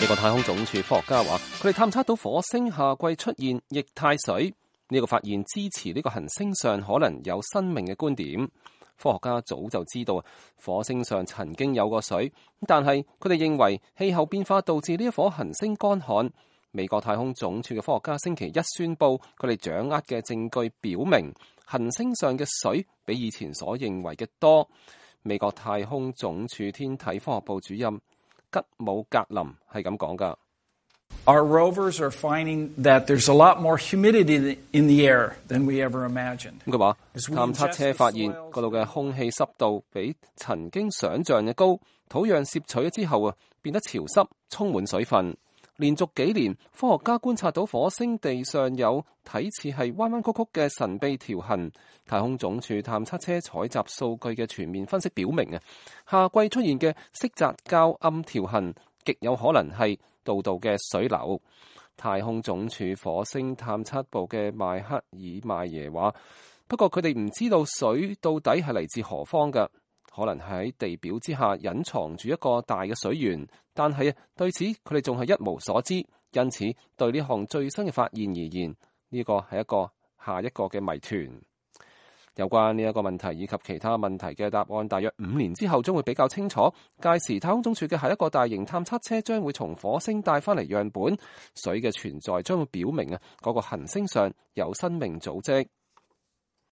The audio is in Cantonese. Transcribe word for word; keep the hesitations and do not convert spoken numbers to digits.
美國太空總署科學家話，佢哋探測到火星夏季出現液態水，呢個發現支持呢個行星上可能有生命嘅觀點。科學家早就知道火星上曾經有過水，但係佢哋認為氣候變化導致呢一顆行星乾旱。美國太空總署嘅科學家星期一宣布，佢哋掌握嘅證據表明，行星上嘅水比以前所認為嘅多。美國太空總署天體科學部主任吉姆格林係咁講噶。Our rovers are finding that there's a lot more humidity in the air than we ever imagined. 佢話探測車發現嗰度嘅空氣濕度比曾經想象嘅高，土壤攝取咗之後啊，變得潮濕，充滿水分。連續幾年，科學家觀察到火星地上有睇似係彎彎曲曲嘅神秘條痕。太空總署探測車採集數據嘅全面分析表明啊，夏季出現嘅色澤較暗條痕，極有可能係道道嘅水流。太空總署火星探測部嘅邁克爾邁耶話，不過佢哋唔知道水到底係嚟自何方㗎。可能喺地表之下隱藏住一個大嘅水源，但係對此佢哋仲係一無所知，因此對呢項最新嘅發現而言，呢個係一個下一個嘅謎團。有關呢一個問題以及其他問題嘅答案，大約五年之後將會比較清楚。屆時太空總署嘅下一個大型探測車將會從火星帶翻嚟樣本，水嘅存在將會表明啊嗰個行星上有生命組織。